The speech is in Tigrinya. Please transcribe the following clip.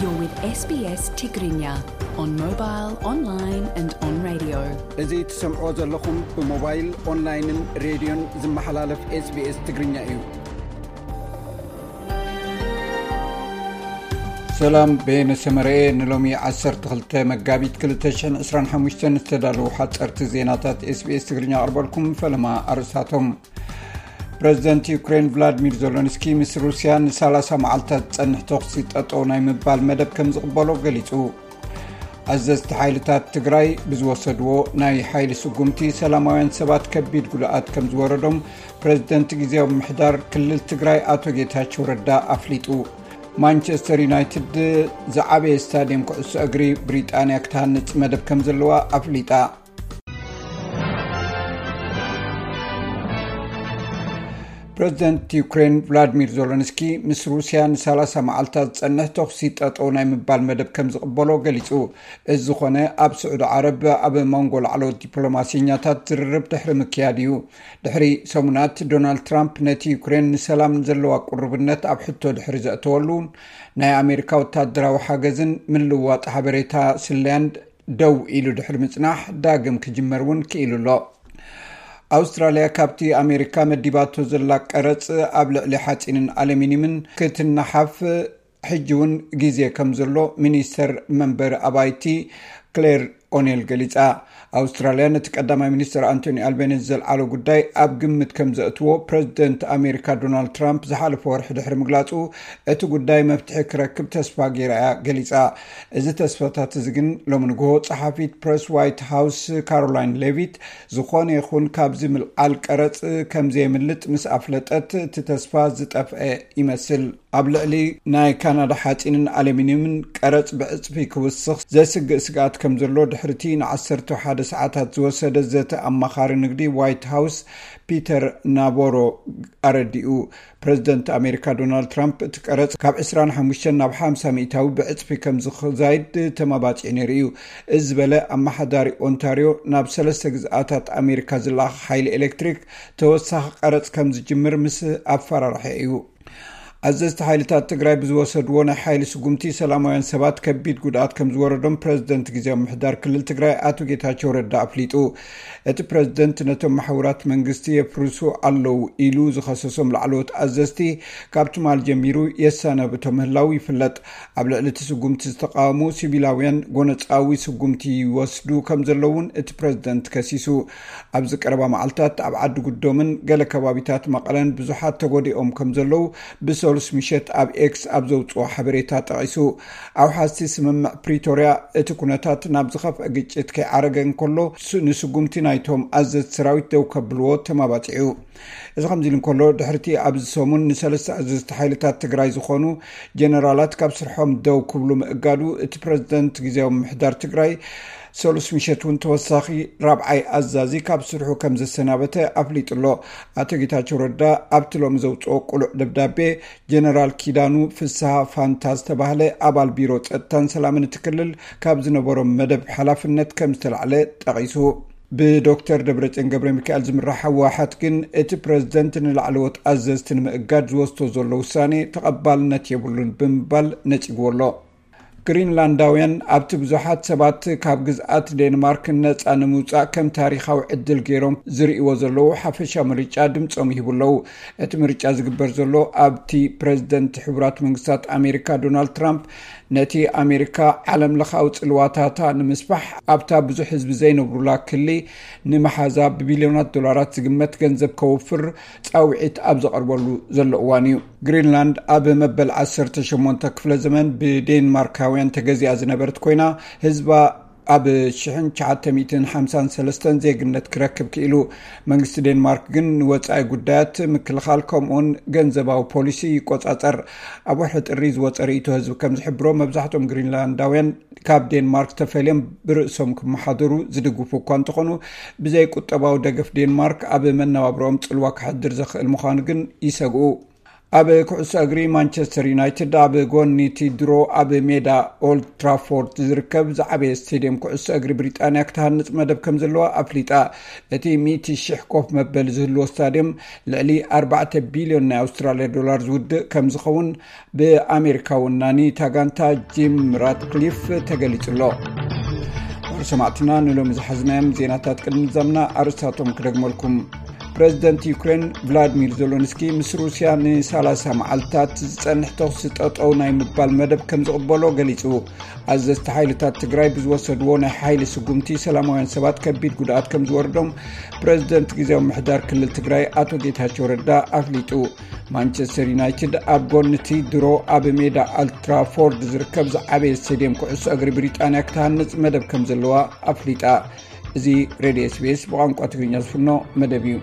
You're with S B S Tigrinya on mobile, online and on radio. እዚ ትሰምዖ ዘለኹም ብሞባይል፣ ኦንላይንን ሬድዮን ዝመሓላለፍ SBS ትግርኛ እዩ። ሰላም፣ በየነ ሰመረኤ። ንሎሚ ዓሰርተ ክልተ መጋቢት ክልተ ሽሕን ዕስራን ሓሙሽተን ዝተዳለዉ ሓፀርቲ ዜናታት SBS ትግርኛ ኣቕርበልኩም። ፈለማ ኣርእስታቶም። ፕረዚደንት ዩክሬን ቭላድሚር ዞሎንስኪ ምስ ሩስያ ንሰላሳ መዓልታት ዝጸንሕ ተኹሲ ጠጠው ናይ ምባል መደብ ከም ዝቕበሎ ገሊጹ። ኣዘዝቲ ሓይልታት ትግራይ ብዝወሰድዎ ናይ ሓይሊ ስጉምቲ ሰላማውያን ሰባት ከቢድ ጉድኣት ከም ዝወረዶም ፕረዚደንት ግዜያዊ ምምሕዳር ክልል ትግራይ ኣቶ ጌታቸው ረዳ ኣፍሊጡ። ማንቸስተር ዩናይትድ ዝዓበየ ስታድየም ኩዕሶ እግሪ ብሪጣንያ ክትሃንጽ መደብ ከም ዘለዋ ኣፍሊጣ። ፕረዚደንት ዩክሬን ቭላድሚር ዞሎንስኪ ምስ ሩስያ ንሰላሳ መዓልታት ዝጸንሕ ተኹሲ ጠጠው ናይ ምባል መደብ ከም ዝቕበሎ ገሊጹ። እዚ ዝኾነ ኣብ ስዑዲ ዓረብ ኣብ መንጎ ላዕለዎት ዲፕሎማሲኛታት ዝርርብ ድሕሪ ምክያድ እዩ። ድሕሪ ሰሙናት ዶናልድ ትራምፕ ነቲ ዩክሬን ንሰላም ዘለዋ ቅሩብነት ኣብ ሕቶ ድሕሪ ዘእተወሉ ናይ ኣሜሪካ ወታደራዊ ሓገዝን ምልውዋጥ ሓበሬታ ስለያን ደው ኢሉ ድሕሪ ምጽናሕ ዳግም ክጅመር እውን ክኢሉ ኣሎ። ኣውስትራልያ ካብቲ ኣሜሪካ መዲባቶ ዘላ ቀረጽ ኣብ ልዕሊ ሓጺንን ኣሉሚኒየምን ክትነሓፍ ሕጂ እውን ግዜ ከም ዘሎ ሚኒስተር መንበሪ ኣባይቲ ክሌር ኦኔል ገሊጻ። ኣውስትራልያ ነቲ ቀዳማይ ሚኒስተር ኣንቶኒ ኣልቤኒዝ ዘልዓሎ ጉዳይ ኣብ ግምት ከም ዘእትዎ ፕረዚደንት ኣሜሪካ ዶናልድ ትራምፕ ዝሓለፈ ወርሒ ድሕሪ ምግላጹ፣ እቲ ጉዳይ መፍትሒ ክረክብ ተስፋ ገይራ እያ ገሊጻ። እዚ ተስፋታት እዚ ግን ሎሚ ንግሆ ጸሓፊት ፕረስ ዋይት ሃውስ ካሮላይን ሌቪት ዝኾነ ይኹን ካብዚ ምልዓል ቀረጽ ከም ዘየምልጥ ምስ ኣፍለጠት እቲ ተስፋ ዝጠፍአ ይመስል። ኣብ ልዕሊ ናይ ካናዳ ሓጺንን ኣሉሚንየምን ቀረጽ ብዕጽፊ ክውስኽ ዘስግእ ስግኣት ከም ዘሎ ድሕሪቲ ንዓሰርተ ሓደ ሰዓታት ዝወሰደ ዘተ ኣማኻሪ ንግዲ ዋይት ሃውስ ፒተር ናቦሮ ኣረዲኡ። ፕረዚደንት ኣሜሪካ ዶናልድ ትራምፕ እቲ ቀረጽ ካብ ዕስራን ሓሙሽተን ናብ ሓምሳ ሚእታዊ ብዕጽፊ ከም ዝዛይድ ተመባጺዑ ነይሩ እዩ። እዚ ዝበለ ኣመሓዳሪ ኦንታርዮ ናብ ሰለስተ ግዝኣታት ኣሜሪካ ዝለኣኽ ሓይሊ ኤሌክትሪክ ተወሳኺ ቀረጽ ከም ዝጅምር ምስ ኣፈራርሐ እዩ። ኣዘዝቲ ሓይልታት ትግራይ ብዝወሰድዎ ናይ ሓይሊ ስጉምቲ ሰላማውያን ሰባት ከቢድ ጉድኣት ከም ዝወረዶም ፕረዚደንት ግዜያዊ ምምሕዳር ክልል ትግራይ ኣቶ ጌታቸው ረዳ ኣፍሊጡ። እቲ ፕረዚደንት ነቶም መሓውራት መንግስቲ የፍርሱ ኣለዉ ኢሉ ዝኸሰሶም ላዕለዎት ኣዘዝቲ ካብ ትማል ጀሚሩ የሰናብቶ ምህላው ይፍለጥ። ኣብ ልዕሊ እቲ ስጉምቲ ዝተቃወሙ ሲቪላውያን ጎነጻዊ ስጉምቲ ይወስዱ ከም ዘለዉ እውን እቲ ፕረዚደንት ከሲሱ። ኣብዚ ቀረባ መዓልታት ኣብ ዓዲ ጉዶምን ገለ ከባቢታት መቐለን ብዙሓት ተጎዲኦም ከም ዘለዉ ብሰሉስ ምሸት ኣብ ኤክስ ኣብ ዘውፅኦ ሓበሬታ ጠቒሱ። ኣውሓዝቲ ስምምዕ ፕሪቶርያ እቲ ኩነታት ናብ ዝኸፍአ ግጭት ከይዓረገ እንከሎ ስ-፣ ንስጉምቲ ናይቶም ኣዘዝቲ ሰራዊት ደው ከብልዎ ተማባፂዑ። እዚ ከምዚ ኢሉ እንከሎ ድሕሪቲ ኣብዚ ሰሙን ንሰለስተ ኣዘዝቲ ሓይልታት ትግራይ ዝኾኑ ጀነራላት ካብ ስርሖም ደው ክብሉ ምእጋዱ እቲ ፕረዚደንት ግዜያዊ ምምሕዳር ትግራይ ሰሉስ ምሸት እውን ተወሳኺ ራብዓይ ኣዛዚ ካብ ስርሑ ከም ዘሰናበተ ኣፍሊጡ ኣሎ። ኣቶ ጌታቸው ረዳ ኣብቲ ሎሚ ዘውፅኦ ቅሉዕ ደብዳቤ ጀነራል ኪዳኑ ፍስሃ ፋንታ ዝተባህለ ኣባል ቢሮ ጸጥታን ሰላምን እቲ ክልል ካብ ዝነበሮም መደብ ሓላፍነት ከም ዝተላዕለ ጠቒሱ። ብዶክተር ደብረጽዮን ገብረ ሚካኤል ዝምራሕ ህወሓት ግን እቲ ፕረዚደንት ንላዕለዎት ኣዘዝቲ ንምእጋድ ዝወስዶ ዘሎ ውሳኔ ተቐባልነት የብሉን ብምባል ነጺግዎ ኣሎ። ግሪንላንዳውያን ኣብቲ ብዙሓት ሰባት ካብ ግዝኣት ዴንማርክ ነጻ ንምውጻእ ከም ታሪኻዊ ዕድል ገይሮም ዝርእይዎ ዘለዉ ሓፈሻ ምርጫ ድምጾም ይህቡ ኣለዉ። እቲ ምርጫ ዝግበር ዘሎ ኣብቲ ፕረዚደንት ሕቡራት መንግስታት ኣሜሪካ ዶናልድ ትራምፕ ነቲ ኣሜሪካ ዓለም ለኻዊ ጽልዋታታ ንምስፋሕ ኣብታ ብዙሕ ህዝቢ ዘይነብሩላ ክሊ ንመሓዛ ብቢልዮናት ዶላራት ዝግመት ገንዘብ ከውፍር ጻውዒት ኣብ ዘቐርበሉ ዘሎ እዋን እዩ። ግሪንላንድ ኣብ መበል ዓሰርተ ሸሞንተ ክፍለ ዘመን ብዴንማርካውያን ተገዚኣ ዝነበረት ኮይና፣ ህዝባ ኣብ ሽሕን ትሽዓተ ሚእትን ሓምሳን ሰለስተን ዜግነት ክረክብ ክኢሉ። መንግስቲ ዴንማርክ ግን ንወጻኢ ጉዳያት፣ ምክልኻል ከምኡውን ገንዘባዊ ፖሊሲ ይቆጻጸር። ኣብ ወርሒ ጥሪ ዝወጸ ርእይቶ ህዝቢ ከም ዝሕብሮ፣ መብዛሕትኦም ግሪንላንዳውያን ካብ ዴንማርክ ተፈልዮም ብርእሶም ክመሓደሩ ዝድግፉ እኳ እንተኾኑ፣ ብዘይ ቁጠባዊ ደገፍ ዴንማርክ ኣብ መነባብሮኦም ጽልዋ ከሕድር ዘኽእል ምዃኑ ግን ይሰግኡ። ኣብ ኩዕሶ እግሪ፣ ማንቸስተር ዩናይትድ ኣብ ጎኒ እቲ ድሮ ኣብ ሜዳ ኦልድ ትራፎርድ ዝርከብ ዝዓበየ ስቴድየም ኩዕሶ እግሪ ብሪጣንያ ክትሃንጽ መደብ ከም ዘለዋ ኣፍሊጣ። እቲ ሚእቲ ሽሕ ኮፍ መበሊ ዝህልዎ ስታድየም ልዕሊ ኣርባዕተ ቢልዮን ናይ ኣውስትራልያ ዶላር ዝውድእ ከም ዝኸውን ብኣሜሪካዊ ወናኒ እታ ጋንታ ጂም ራትክሊፍ ተገሊጹ ኣሎ። ክቡር ሰማዕትና፣ ንሎሚ ዝሓዝናዮም ዜናታት ቅድሚ ምዛምና ኣርእስታቶም ክደግመልኩም። ፕረዚደንት ዩክሬን ቭላድሚር ዜሎንስኪ ምስ ሩስያ ንሰላሳ መዓልታት ዝጸንሕ ተኹሲ ጠጠው ናይ ምባል መደብ ከም ዝቕበሎ ገሊጹ። ኣዘዝቲ ሓይልታት ትግራይ ብዝወሰድዎ ናይ ሓይሊ ስጉምቲ ሰላማውያን ሰባት ከቢድ ጉድኣት ከም ዝወርዶም ፕረዚደንት ግዜያዊ ምሕዳር ክልል ትግራይ ኣቶ ጌታቸው ረዳ ኣፍሊጡ። ማንቸስተር ዩናይትድ ኣብ ጎኒ እቲ ድሮ ኣብ ሜዳ ኦልድ ትራፎርድ ዝርከብ ዝዓበየ ስቴድየም ኩዕሶ እግሪ ብሪጣንያ ክትሃንጽ መደብ ከም ዘለዋ ኣፍሊጣ። እዚ ሬድዮ ኤስቢኤስ ብቋንቋ ትግርኛ ዝፍኖ መደብ እዩ።